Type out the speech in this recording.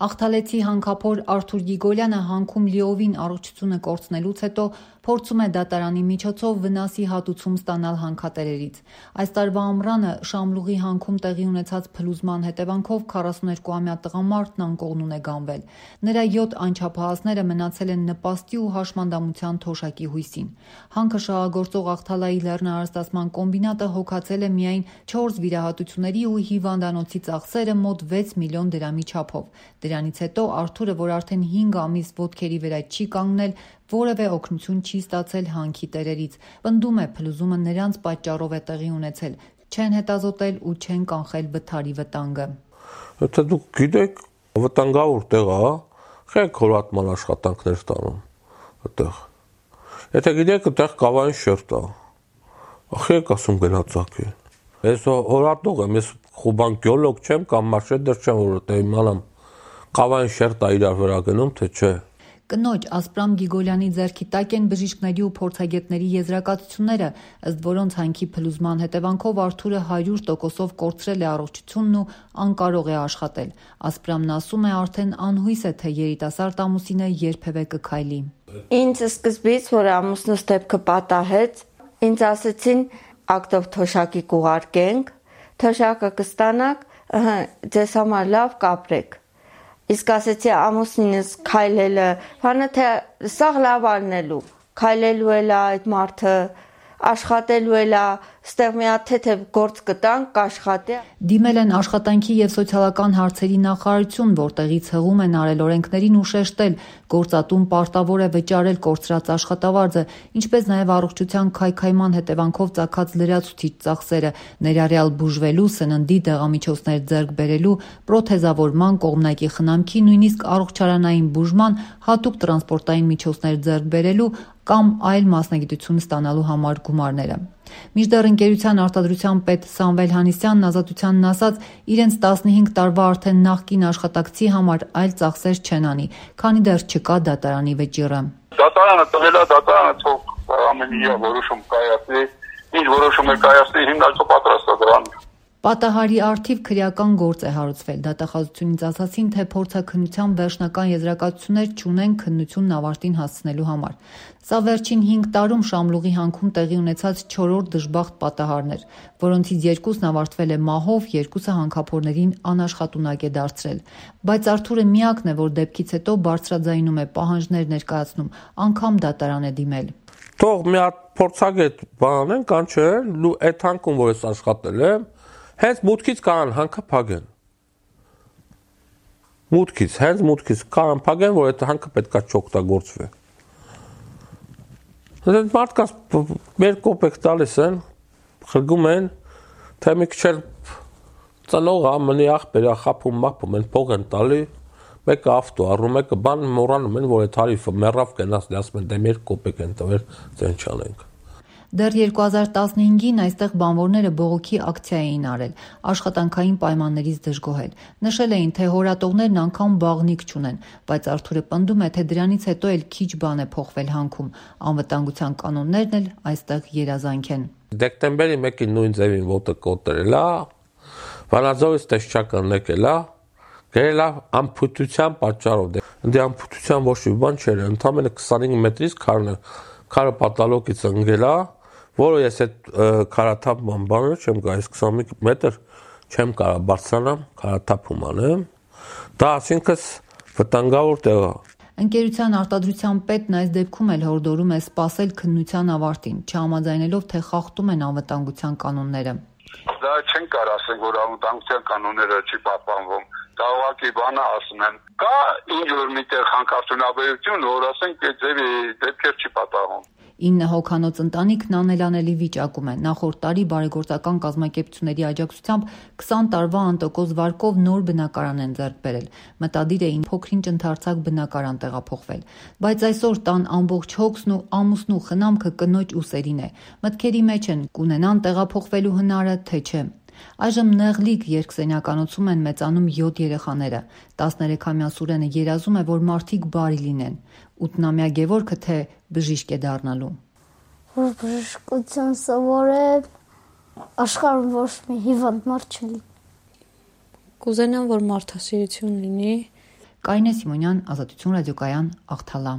Աղթալեցի հանքափոր Արթուր Գիգոլյանը հանքում լիովին առողջությունը կորցնելուց հետո փորձում է դատարանի միջոցով վնասի հատուցում ստանալ հանքատերերից։ Այս տարվա ամռանը Շամլուղի հանքում տեղի ունեցած փլուզման հետևանքով 42-ամյա տղամարդն անկողնուն է գանվել։ Նրա 7 անչափահասները մնացել են նպաստի ու հաշմանդամության թոշակի հույսին։ Հանքը շահագործող Աղթալայի լեռնարարստացման կոմբինատը հոգացել է միայն 4 վիրահատությունների ու հիվանդանոցի ծախսերը մոտ 6 միլիոն դրամի չափով։ Դրանից հետո Արթուրը, որ արդեն 5 ամիս ոտքերի վրա չի կանգնել, որևէ օգնություն չի ստացել հանքի տերերից։ Պնդում է, փլուզումը նրանց պատճառով է տեղի ունեցել, չեն հետազոտել ու չեն կանխել վթարի վտանգը։ Եթե դուք գիտեք, վտանգավոր տեղ է, խեք հորատման աշխատանքներ ստանում այդտեղ։ Եթե գիտեք, այդտեղ կավային շերտ է, խեք ասում գնացակի։ Ես հորատող եմ, ես խոբան գեոլոգ չեմ կամ մարշետեր չեմ, որ իմանամ կավային շերտ է իրար վրա գնում, թե չէ։ Կնոջ Ասպրամ Գիգոլյանի ձեռքի տակ են բժիշկների ու փորձագետների եզրակացությունները, ըստ որոնց հանքի փլուզման հետևանքով Արթուրը 100%-ով կորցրել է առողջությունն ու անկարող է աշխատել։ Ասպրամն ասում է, արդեն անհույս է, թե երիտասարդ ամուսինը երբևէ կքայլի։ Ինձ սկզբից, որ ամուսնուս դեպքը պատահեց, ինձ ասեցին ակտով թոշակի կուղարկենք, թոշակը կստանաք, ձեզ համար լավ կապրեք։ Իսկ ասեցի ամուսինս քայլելը, բանը թե սաղ լավ ալնելու, քայլելու էլ այդ մարդը, աշխատելու էլ ստեղ մի հատ թեթև գործ կտանք, կաշխատի։ Դիմել են աշխատանքի եւ սոցիալական հարցերի նախարարություն, որտեղից հղում են արել օրենքներին ու շեշտել, գործատուն պարտավոր է վճարել կորցրած աշխատավարձը, ինչպես նաեւ առողջության քայքայման հետևանքով ծագած լրացուցիչ ծախսերը, ներառյալ բուժվելու, սննդի, դեղամիջոցներ ձեռք բերելու, պրոթեզավորման, կողմնակի խնամքի, նույնիսկ առողջարանային բուժման, հատուկ տրանսպորտային միջոցներ ձեռք բերելու կամ այլ մասնագիտություն ստանալու համար գումարները։ Մինչդեռ ընկերության արտադրության պետ Սամվել Հանիսյանն Ազատությանն ասաց, իրենց 15 տարվա արդեն նախկին աշխատակցի համար այլ ծախսեր չեն անի, քանի դեռ չկա դատարանի վճիռը։ Դատարանը տվել է, դատարանը թող ամեն ինչ որոշում կայացնի, ինչ որոշում է կայացնի, հիմնարկը պատրաստ է դրան։ Պատահարի առթիվ քրեական գործ է հարուցվել։ Դատախազությունից ասացին, թե փորձաքննության վերջնական եզրակացություններ չունեն քննությունն ավարտին հասցնելու համար։ Սա վերջին 5 տարում Շամլուղի հանքում տեղի ունեցած 4-րդ դժբախտ պատահարն էր, որոնցից 2-ն ավարտվել է մահով, 2-ը հանքափորներին անաշխատունակ է դարձրել։ Բայց Արթուրը միակն է, որ դեպքից հետո բարձրաձայնում է, պահանջներ ներկայացնում, անգամ դատարան է դիմել։ Թող մի հատ փորձագետ բանեն, կանչեն, ու այդ հանքում, որ ես աշխատել եմ, հենց մուտքից կարան հանքը փակեն։ Հենց մուտքից կարան փակեն, որ այդ հանքը պետքա չօգտագործվի։ Այդ մարդկանց մեր կոպեկ տալիս են, խրգում են, թե մի քիչ ծնող ամենի աղբերա խափում մապում են, փող են տալի, մեկը ավտո առնում, մեկը բան մոռանում են, որ այդ հարիվը մեռավ կենացնի, ասում են, դե մեր կոպեկ են տվել, ձեն չանենք։ Դեռ 2015-ին այստեղ բանվորները բողոքի ակցիա էին արել, աշխատանքային պայմաններից դժգոհել։ Նշել էին, թե հորատողներն անգամ բաղնիք չունեն, բայց Արթուրը պնդում է, թե դրանից հետո էլ քիչ բան է փոխվել հանքում, անվտանգության կանոններն էլ այստեղ երազանք են։ Դեկտեմբերի 1-ին նույն ձևին ոտը կոտրել է, Վանաձորից տեսչական եկել է, գրել է ամփոփության պատճառով։ Դե ամփոփության ոչ մի բան չէր, ընդամենը 25 մետրից քարը պատալոգից ընկել է, որը ես այդ քարաթափ բանը չեմ գայիս 25 մետր չեմ կարա բարձրանամ, քարաթափում անեմ, դա ասինքս վտանգավոր տեղ է։ Ընկերության արտադրության պետն այս դեպքում էլ հորդորում է սպասել քննության ավարտին, չհամաձայնելով, թե խախտում են անվտանգության կանոնները։ Դա չեն կարող ասել, որ անվտանգության կանոնները չի պահպանվում։ Դա ուղղակի բանը ասում են։ Կա ինչ որ միտեղ հանքարդյունաբերություն, որ ասենք այդ ձևի դեպքեր չի պատահում։ 9 հոգանոց ընտանիքն անելանելի վիճակում է։ Նախորդ տարի բարեգործական կազմակերպությունների աջակցությամբ 20 տարվա անտոկոս վարկով նոր բնակարան են ձեռք բերել։ Մտադիր էին փոքրինչ ընդարձակ բնակարան տեղափոխվել։ Բայց այսօր տան ամբողջ հոգսն ու ամուսնու խնամքը կնոջ ուսերին է։ Մտքերի մեջ են կունենան տեղափոխվելու հնարը, թե չէ։ Այժմ նեղլիկ երկսենյականոցում են մեծանում 7 երեխաները։ 13-ամյա Սուրենը երազում է, որ մարդիկ բարի լինեն։ 8-ամյա Գևորգը թե բժիշկ է դառնալու։ Որ բժշկության սովորել, աշխարհում ոչ մի հիվանդ մարդ չլինի։ Կուզենամ, որ մարդասիրություն լինի։ Կարինե Սիմոնյան, Ազատություն ռադիոկայան, Աղթալա։